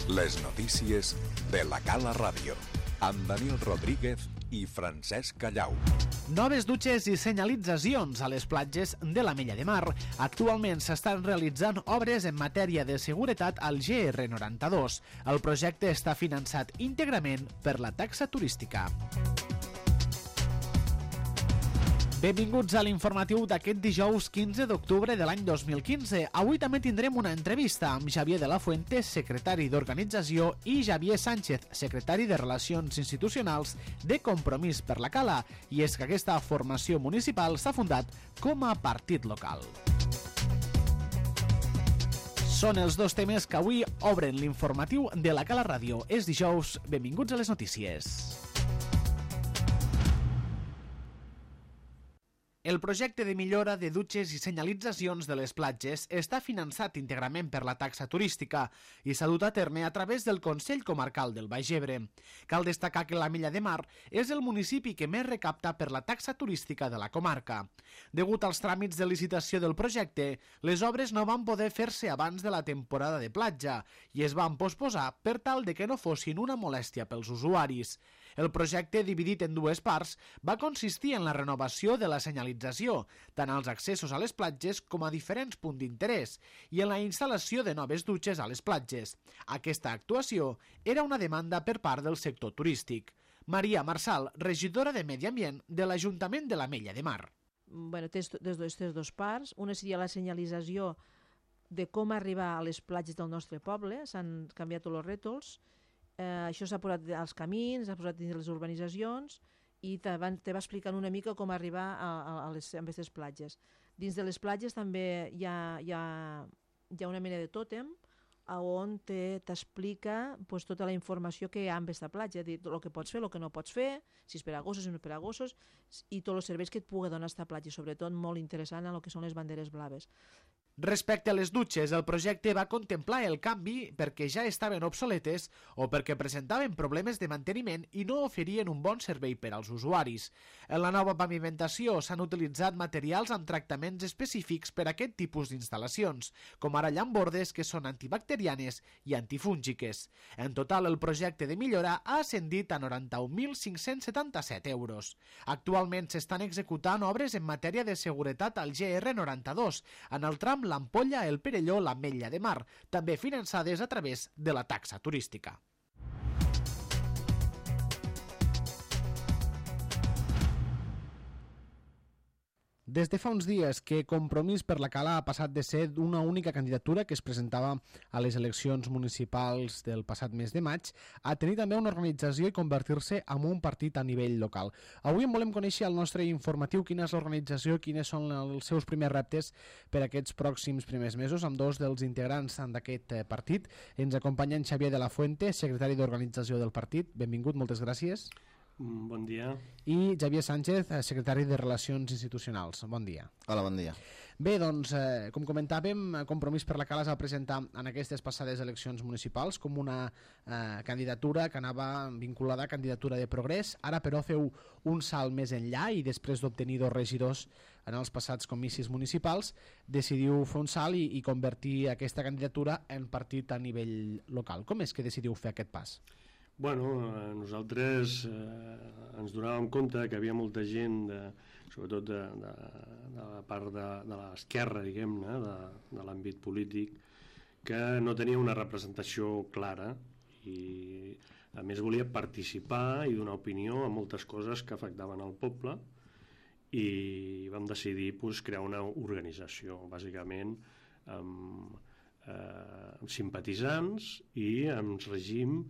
Les notícies de la Cala Ràdio, amb Daniel Rodríguez i Francesc Callau. Noves dutxes i senyalitzacions a les platges de l'Ametlla de Mar. Actualment s'estan realitzant obres en matèria de seguretat al GR92. El projecte està finançat íntegrament per la taxa turística. Benvinguts a l'informatiu d'aquest dijous 15 d'octubre de l'any 2015. Avui també tindrem una entrevista amb Xavier de la Fuente, secretari d'Organització, i Xavier Sánchez, secretari de Relacions Institucionals de Compromís per la Cala. I és que aquesta formació municipal s'ha fundat com a partit local. Són els dos temes que avui obren l'informatiu de la Cala Ràdio. És dijous, benvinguts a les notícies. El projecte de millora de dutxes i senyalitzacions de les platges està finançat íntegrament per la taxa turística i s'ha dut a terme a través del Consell Comarcal del Baix Ebre. Cal destacar que l'Ametlla de Mar és el municipi que més recapta per la taxa turística de la comarca. Degut als tràmits de licitació del projecte, les obres no van poder fer-se abans de la temporada de platja i es van posposar per tal de que no fossin una molèstia pels usuaris. El projecte, dividit en dues parts, va consistir en la renovació de la senyalització, tant als accessos a les platges com a diferents punts d'interès, i en la instal·lació de noves dutxes a les platges. Aquesta actuació era una demanda per part del sector turístic. Maria Marsal, regidora de Medi Ambient de l'Ajuntament de l'Ametlla de Mar. Té dos parts. Una seria la senyalització de com arribar a les platges del nostre poble. S'han canviat tots els rètols. Això s'ha posat als camins, s'ha posat dins les urbanitzacions, i te va explicant una mica com arribar a aquestes platges. Dins de les platges també hi ha una mena de tòtem on t'explica tota la informació que hi ha en aquesta platja, el que pots fer, el que no pots fer, si és per a gossos, si no és per a gossos, i tots els serveis que et pugui donar aquesta platja, sobretot molt interessant en el que són les banderes blaves. Respecte a les dutxes, el projecte va contemplar el canvi perquè ja estaven obsoletes o perquè presentaven problemes de manteniment i no oferien un bon servei per als usuaris. En la nova pavimentació s'han utilitzat materials amb tractaments específics per a aquest tipus d'instal·lacions, com ara llambordes que són antibacterianes i antifúngiques. En total, el projecte de millora ha ascendit a 91.577 euros. Actualment s'estan executant obres en matèria de seguretat al GR92, en el tram l'Ampolla, el Perelló, l'Ametlla de Mar, també finançades a través de la taxa turística. Des de fa uns dies que Compromís per la Cala ha passat de ser una única candidatura que es presentava a les eleccions municipals del passat mes de maig a tenir també una organització i convertir-se en un partit a nivell local. Avui en volem conèixer al nostre informatiu quina és l'organització, quines són els seus primers reptes per aquests pròxims primers mesos, amb dos dels integrants d'aquest partit. Ens acompanya en Xavier de la Fuente, secretari d'organització del partit. Benvingut, moltes gràcies. Bon dia. I Xavier Sánchez, secretari de Relacions Institucionals. Bon dia. Hola, bon dia. Bé, doncs, com comentàvem, Compromís per la Cala es va presentar en aquestes passades eleccions municipals com una candidatura que anava vinculada a candidatura de progrés. Ara, però, feu un salt més enllà i després d'obtenir 2 regidors en els passats comicis municipals, decidiu fer un salt i convertir aquesta candidatura en partit a nivell local. Com és que decidiu fer aquest pas? Bueno, nosaltres ens donàvem compte que havia molta gent, sobretot de la part de l'esquerra, diguem-ne, de l'àmbit polític, que no tenia una representació clara i a més volia participar i donar opinió a moltes coses que afectaven el poble, i vam decidir crear una organització, bàsicament amb simpatitzants i amb règim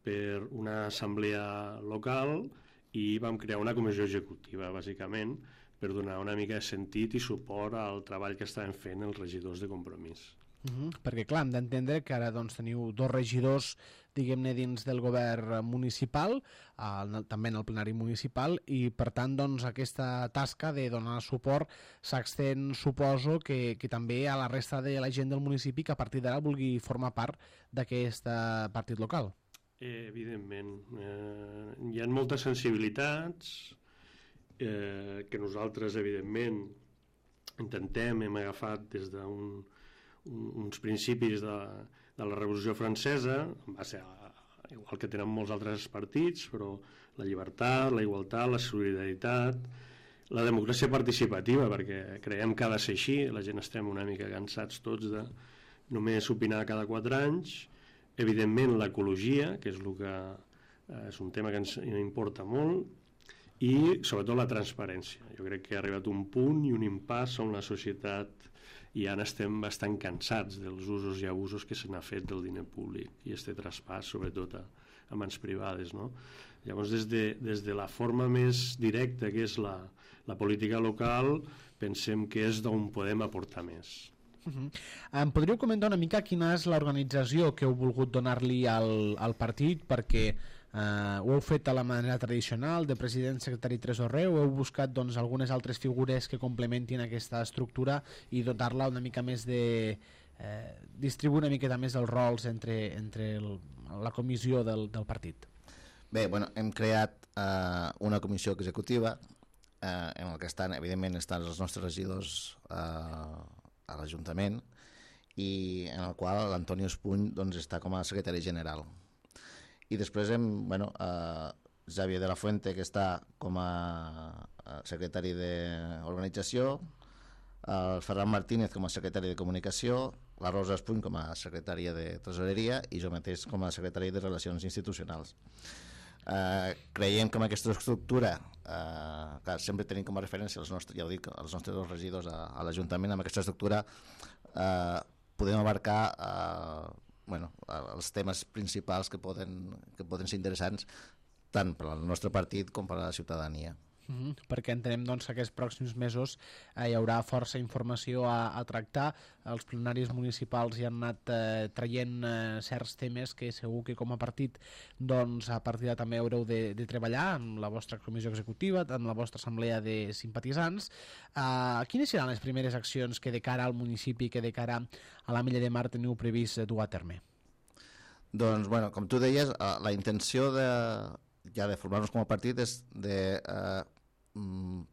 per una assemblea local, i vam crear una comissió executiva, bàsicament, per donar una mica de sentit i suport al treball que estaven fent els regidors de Compromís. Perquè clar, hem d'entendre que ara teniu 2 regidors, diguem-ne, dins del govern municipal, també en el plenari municipal, i per tant aquesta tasca de donar suport s'extén, suposo, que també a la resta de la gent del municipi que a partir d'ara vulgui formar part d'aquest partit local. Evidentment, hi ha moltes sensibilitats que nosaltres evidentment hem agafat des d'un uns principis de la Revolució Francesa, va ser igual que tenen molts altres partits, però la llibertat, la igualtat, la solidaritat, la democràcia participativa, perquè creiem que ha de ser així, la gent estem una mica cansats tots de només opinar cada 4 anys, evidentment l'ecologia, que és el que és un tema que ens importa molt, i sobretot la transparència. Jo crec que ha arribat un punt i un impàs on la societat i ara estem bastant cansats dels usos i abusos que se n'ha fet del diner públic i este traspàs sobretot a mans privades, no? Llavors des de la forma més directa que és la política local pensem que és d'on podem aportar més. Em podríeu comentar una mica quina és l'organització que heu volgut donar-li al partit, perquè ho heu fet a la manera tradicional de president, secretari, tresorer, o heu buscat doncs, algunes altres figures que complementin aquesta estructura i dotar-la una mica més de distribuir una miqueta més els rols entre la comissió del partit? Bé, bueno, hem creat una comissió executiva en la que evidentment estan els nostres regidors a l'Ajuntament i en el qual l'Antonio Espuny doncs, està com a secretari general. I després Xavier de la Fuente, que està com a secretari d'organització, el Ferran Martínez com a secretari de comunicació, la Rosa Espuny com a secretària de tresoreria i jo mateix com a secretari de relacions institucionals. Creiem que amb aquesta estructura que sempre tenim com a referència els nostres dos regidors a l'Ajuntament, amb aquesta estructura podem abarcar els temes principals que poden ser interessants tant per al nostre partit com per a la ciutadania. Perquè entenem doncs, que aquests pròxims mesos hi haurà força informació a tractar. Els plenaris municipals hi han anat traient certs temes que segur que com a partit doncs, a partir de també haureu de treballar amb la vostra comissió executiva, amb la vostra assemblea de simpatitzants. Quines seran les primeres accions que de cara al municipi, que de cara a l'Ametlla de Mar teniu previst dur a terme? Doncs, bueno, com tu deies, la intenció ja de formar-nos com a partit és de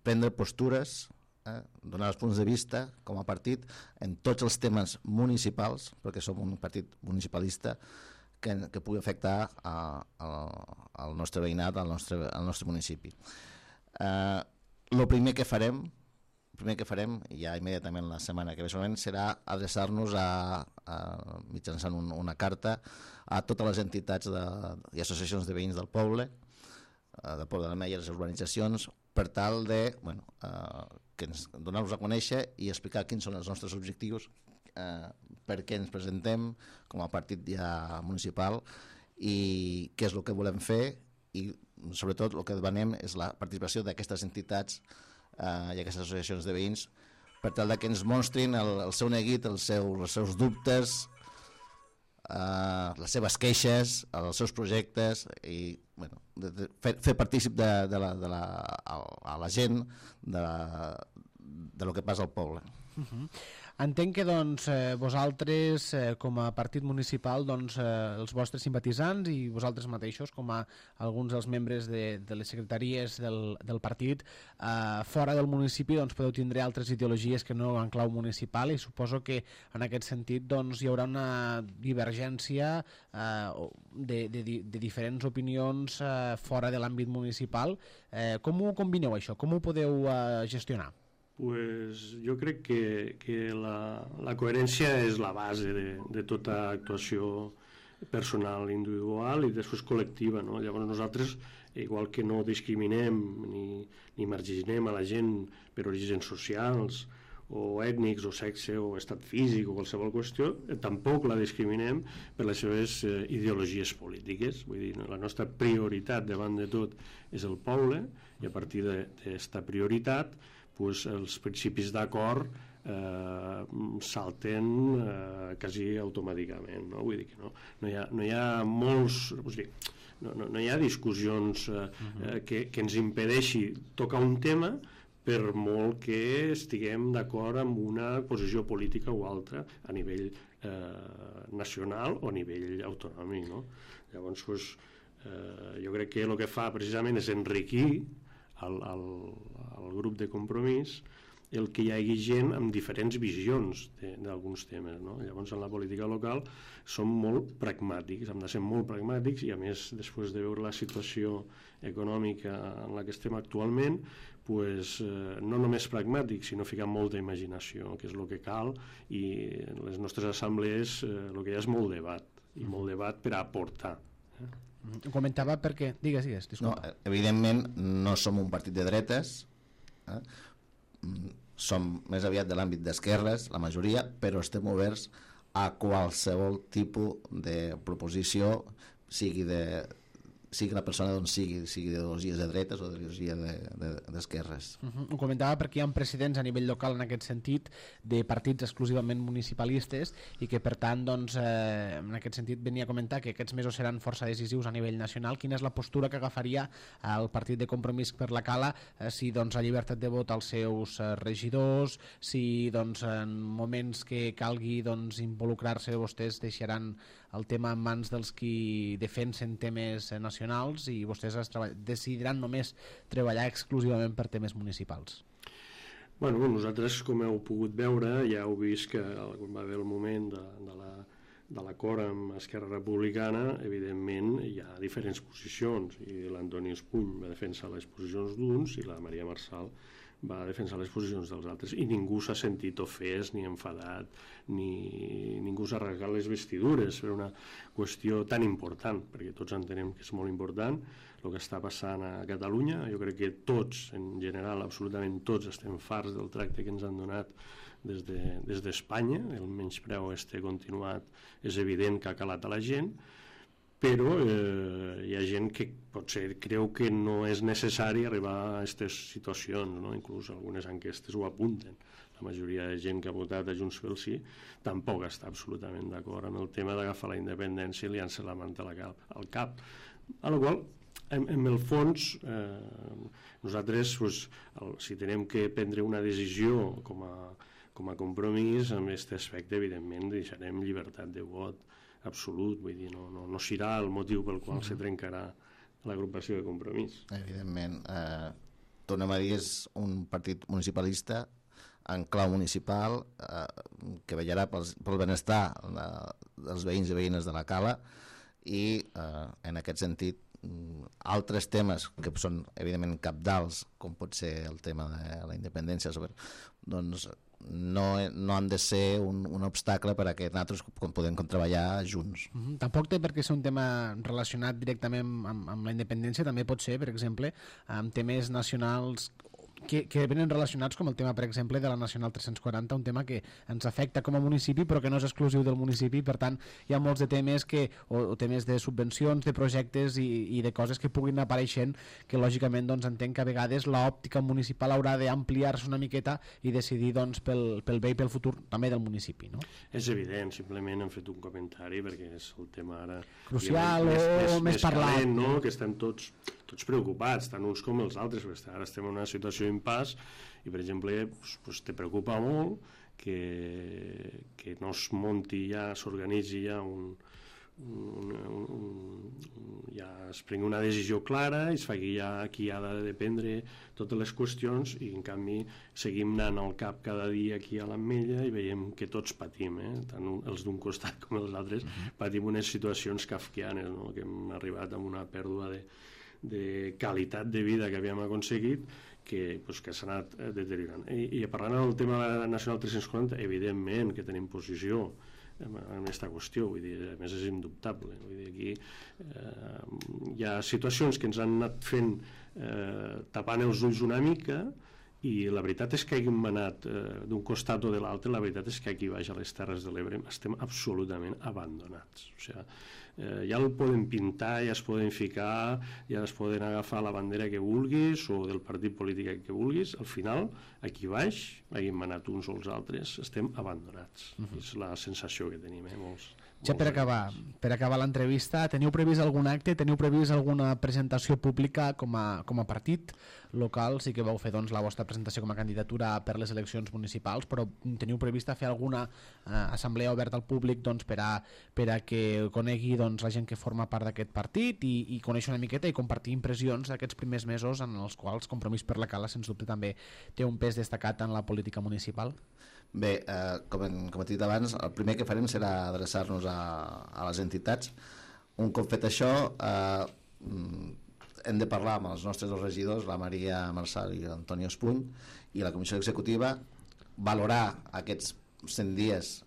prendre postures, donar els punts de vista com a partit en tots els temes municipals, perquè som un partit municipalista que pugui afectar al nostre veïnat, al nostre municipi. El primer que farem ja immediatament la setmana que ve segurament serà adreçar-nos mitjançant una carta a totes les entitats i associacions de veïns del poble de l'Ametlla, les urbanitzacions, per tal de donar-nos a conèixer i explicar quins són els nostres objectius, per què ens presentem com a partit ja municipal i què és el que volem fer, i sobretot el que demanem és la participació d'aquestes entitats i aquestes associacions de veïns per tal que ens mostrin el seu neguit, els seus dubtes, les seves queixes, els seus projectes i fer partícip a la gent de lo que passa al poble. Entenc que doncs, vosaltres com a partit municipal, doncs, els vostres simpatitzants i vosaltres mateixos com a alguns dels membres de les secretaries del partit fora del municipi doncs, podeu tindre altres ideologies que no en clau municipal, i suposo que en aquest sentit doncs, hi haurà una divergència de diferents opinions fora de l'àmbit municipal. Com ho combineu això? Com ho podeu gestionar? Pues jo crec que la coherència és la base de tota actuació personal, individual i després col·lectiva, no? Llavors nosaltres, igual que no discriminem ni marginem a la gent per orígens socials o ètnics o sexe o estat físic o qualsevol qüestió, tampoc la discriminem per les seves ideologies polítiques. Vull dir, la nostra prioritat davant de tot és el poble i a partir d'aquesta prioritat els principis d'acord salten quasi automàticament, no? Vull dir que no hi ha molts, no hi ha discussions que ens impedeixi tocar un tema per molt que estiguem d'acord amb una posició política o altra a nivell nacional o a nivell autonòmic, no? Llavors jo crec que el que fa precisament és enriquir el grup de Compromís el que hi hagi gent amb diferents visions d'alguns temes, no? Llavors, en la política local som molt pragmàtics, hem de ser molt pragmàtics, i a més, després de veure la situació econòmica en la que estem actualment, pues, no només pragmàtics, sinó ficar molta imaginació, que és el que cal, i en les nostres assemblees el que hi ha és molt debat, i molt debat per a aportar. Ho comentava perquè... Digues, disculpa. No, evidentment no som un partit de dretes, som més aviat de l'àmbit d'esquerres, la majoria, però estem oberts a qualsevol tipus de proposició, sigui la persona d'on sigui d'ideologies de dretes o d'ideologia d'esquerres. Ho comentava perquè hi ha precedents a nivell local en aquest sentit de partits exclusivament municipalistes i que per tant doncs, en aquest sentit venia a comentar que aquests mesos seran força decisius a nivell nacional. Quina és la postura que agafaria el partit de Compromís per la Cala si doncs, ha llibertat de vot als seus regidors, si doncs, en moments que calgui doncs, involucrar-se vostès deixaran el tema en mans dels qui defensen temes nacionals i vostès decidiran només treballar exclusivament per temes municipals? Bueno, nosaltres, com heu pogut veure, ja heu vist que quan va haver el moment de l'acord amb Esquerra Republicana, evidentment hi ha diferents posicions, i l'Antoni Espuny va defensar les posicions d'uns i la Maria Marçal va defensar les posicions dels altres, i ningú s'ha sentit ofès ni enfadat, ni ningú s'ha rasgat les vestidures per una qüestió tan important, perquè tots entenem que és molt important el que està passant a Catalunya. Jo crec que tots, en general, absolutament tots, estem farts del tracte que ens han donat des d'Espanya. El menyspreu continuat és evident que ha calat a la gent, però hi ha gent que potser creu que no és necessari arribar a aquestes situacions, no? Inclús algunes enquestes ho apunten. La majoria de gent que ha votat a Junts pel Sí tampoc està absolutament d'acord amb el tema d'agafar la independència i liar-se la manta al cap. A la qual, en el fons, nosaltres, si tenim que prendre una decisió com a Compromís, en aquest aspecte, evidentment, deixarem llibertat de vot absolut, vull dir, no serà el motiu pel qual se trencarà l'agrupació de Compromís. Evidentment, tornem a dir, és un partit municipalista en clau municipal que vetllarà pel benestar dels veïns i veïnes de la Cala, i en aquest sentit altres temes que són evidentment cabdals, com pot ser el tema de la independència, doncs no han de ser un obstacle per a que nosaltres podem treballar junts. Tampoc té per què ser un tema relacionat directament amb la independència, també pot ser, per exemple, amb temes nacionals que venen relacionats, com el tema, per exemple, de la Nacional 340, un tema que ens afecta com a municipi però que no és exclusiu del municipi. Per tant, hi ha molts de temes o temes de subvencions, de projectes i de coses que puguin apareixent, que lògicament doncs, entenc que a vegades l'òptica municipal haurà d'ampliar-se una miqueta i decidir doncs, pel bé i pel futur també del municipi, no? És evident, simplement hem fet un comentari perquè és el tema ara crucial o més parlat, calent, no? Que estem tots preocupats, tant uns com els altres, perquè ara estem en una situació d'impàs i, per exemple, te preocupa molt que no es munti ja, s'organitzi ja ja es prengui una decisió clara i es faci ja qui ha de prendre totes les qüestions, i en canvi seguim anant al cap cada dia aquí a l'Ametlla i veiem que tots patim, tant els d'un costat com els altres, patim unes situacions kafkianes, no? Que hem arribat a una pèrdua de qualitat de vida que havíem aconseguit que s'ha anat deteriorant. I parlant del tema de la Nacional 340, evidentment que tenim posició en aquesta qüestió, vull dir, a més és indubtable, vull dir, aquí hi ha situacions que ens han anat fent tapant els ulls una mica, i la veritat és que hàgim anat d'un costat o de l'altre, la veritat és que aquí baix a les Terres de l'Ebre estem absolutament abandonats. O sigui, ja el poden pintar, ja es poden ficar, ja es poden agafar la bandera que vulguis o del partit polític que vulguis, al final, aquí baix, hàgim anat uns o els altres, estem abandonats. És la sensació que tenim, molts. Ja per acabar l'entrevista, teniu previst algun acte, teniu previst alguna presentació pública com a partit local sí que vau fer la vostra presentació com a candidatura per les eleccions municipals, però teniu prevista fer alguna assemblea oberta al públic per a que conegui la gent que forma part d'aquest partit i conèixer una miqueta i compartir impressions d'aquests primers mesos en els quals Compromís per la Cala sens dubte també té un pes destacat en la política municipal? Bé, com he dit abans, el primer que farem serà adreçar-nos a les entitats. Un cop fet això, hem de parlar amb els nostres dos regidors, la Maria Marçal i l'Antoni Espuny, i la comissió executiva, valorar aquests 100 dies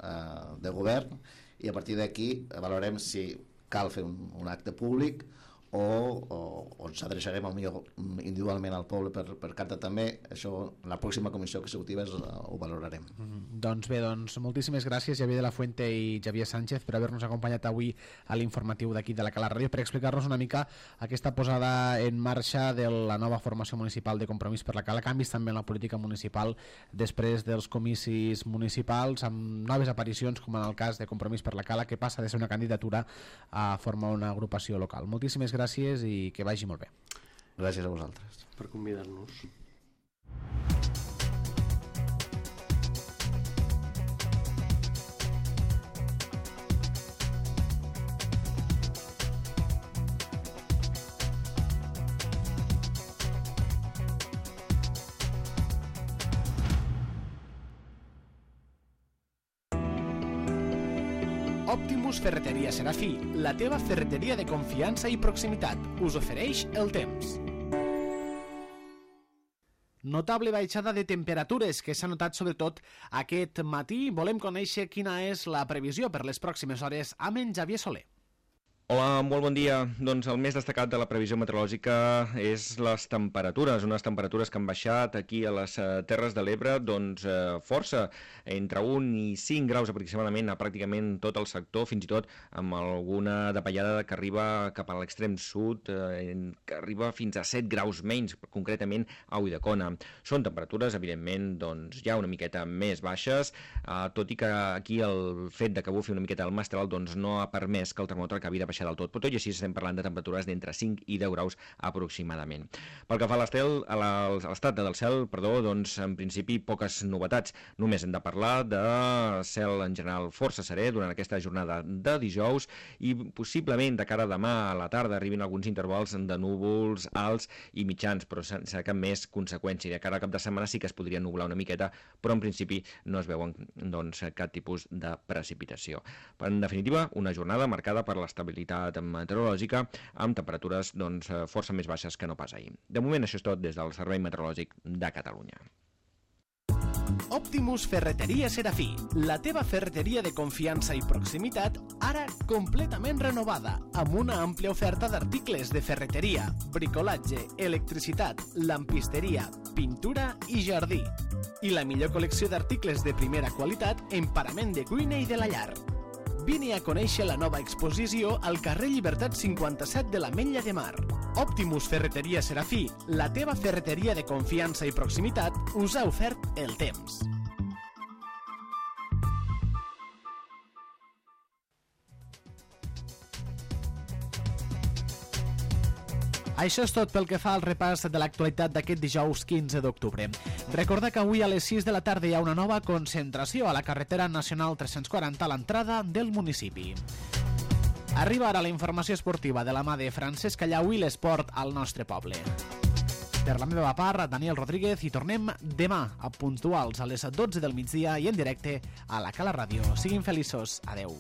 de govern, i a partir d'aquí valorem si cal fer un acte públic o ens adreçarem millor individualment al poble per carta també. Això la pròxima comissió executiva ho valorarem. Doncs bé, moltíssimes gràcies Xavier de la Fuente i Xavier Sánchez per haver-nos acompanyat avui a l'informatiu d'aquí de la Cala Ràdio per explicar-nos una mica aquesta posada en marxa de la nova formació municipal de Compromís per la Cala, canvis també en la política municipal després dels comicis municipals, amb noves aparicions com en el cas de Compromís per la Cala, que passa de ser una candidatura a formar una agrupació local. Moltíssimes gràcies i que vagi molt bé. Gràcies a vosaltres per convidar-nos. Optimus Ferreteria Serafí, la teva ferreteria de confiança i proximitat, us ofereix el temps. Notable baixada de temperatures que s'ha notat sobretot aquest matí. Volem conèixer quina és la previsió per les pròximes hores amb en Xavier Soler. Hola, molt bon dia. Doncs el més destacat de la previsió meteorològica és les temperatures, unes temperatures que han baixat aquí a les Terres de l'Ebre força, entre 1 i 5 graus aproximadament a pràcticament tot el sector, fins i tot amb alguna davallada que arriba cap a l'extrem sud, que arriba fins a 7 graus menys, concretament a Ulldecona. Són temperatures, evidentment, ja una miqueta més baixes, tot i que aquí el fet de que bufi una miqueta el mestral no ha permès que el termòmetre acabi de baixar del tot, però tot i així estem parlant de temperatures d'entre 5 i 10 graus aproximadament. Pel que fa a l'estat del cel, en principi poques novetats. Només hem de parlar de cel en general força serè durant aquesta jornada de dijous i possiblement de cara a demà a la tarda arribin alguns intervals de núvols alts i mitjans, però sense cap més conseqüència. De cara al cap de setmana sí que es podria nublar una miqueta, però en principi no es veuen cap tipus de precipitació. En definitiva, una jornada marcada per l'estabilitat meteorològica amb temperatures força més baixes que no pas ahir. De moment això és tot des del Servei Meteorològic de Catalunya. Optimus Ferreteria Serafí, la teva ferreteria de confiança i proximitat, ara completament renovada, amb una àmplia oferta d'articles de ferreteria, bricolatge, electricitat, lampisteria, pintura i jardí. I la millor col·lecció d'articles de primera qualitat en parament de cuina i de la llar. Vine a conèixer la nova exposició al carrer Llibertat 57 de l'Ametlla de Mar. Optimus Ferreteria Serafí, la teva ferreteria de confiança i proximitat, us ha ofert el temps. Això és tot pel que fa al repàs de l'actualitat d'aquest dijous 15 d'octubre. Recorda que avui a les 6 de la tarda hi ha una nova concentració a la carretera nacional 340 a l'entrada del municipi. Arriba ara la informació esportiva de la mà de Francesc Allau i l'esport al nostre poble. Per la meva part, Daniel Rodríguez, i tornem demà a puntuals a les 12 del migdia i en directe a la Cala Ràdio. Siguin feliços. Adeu.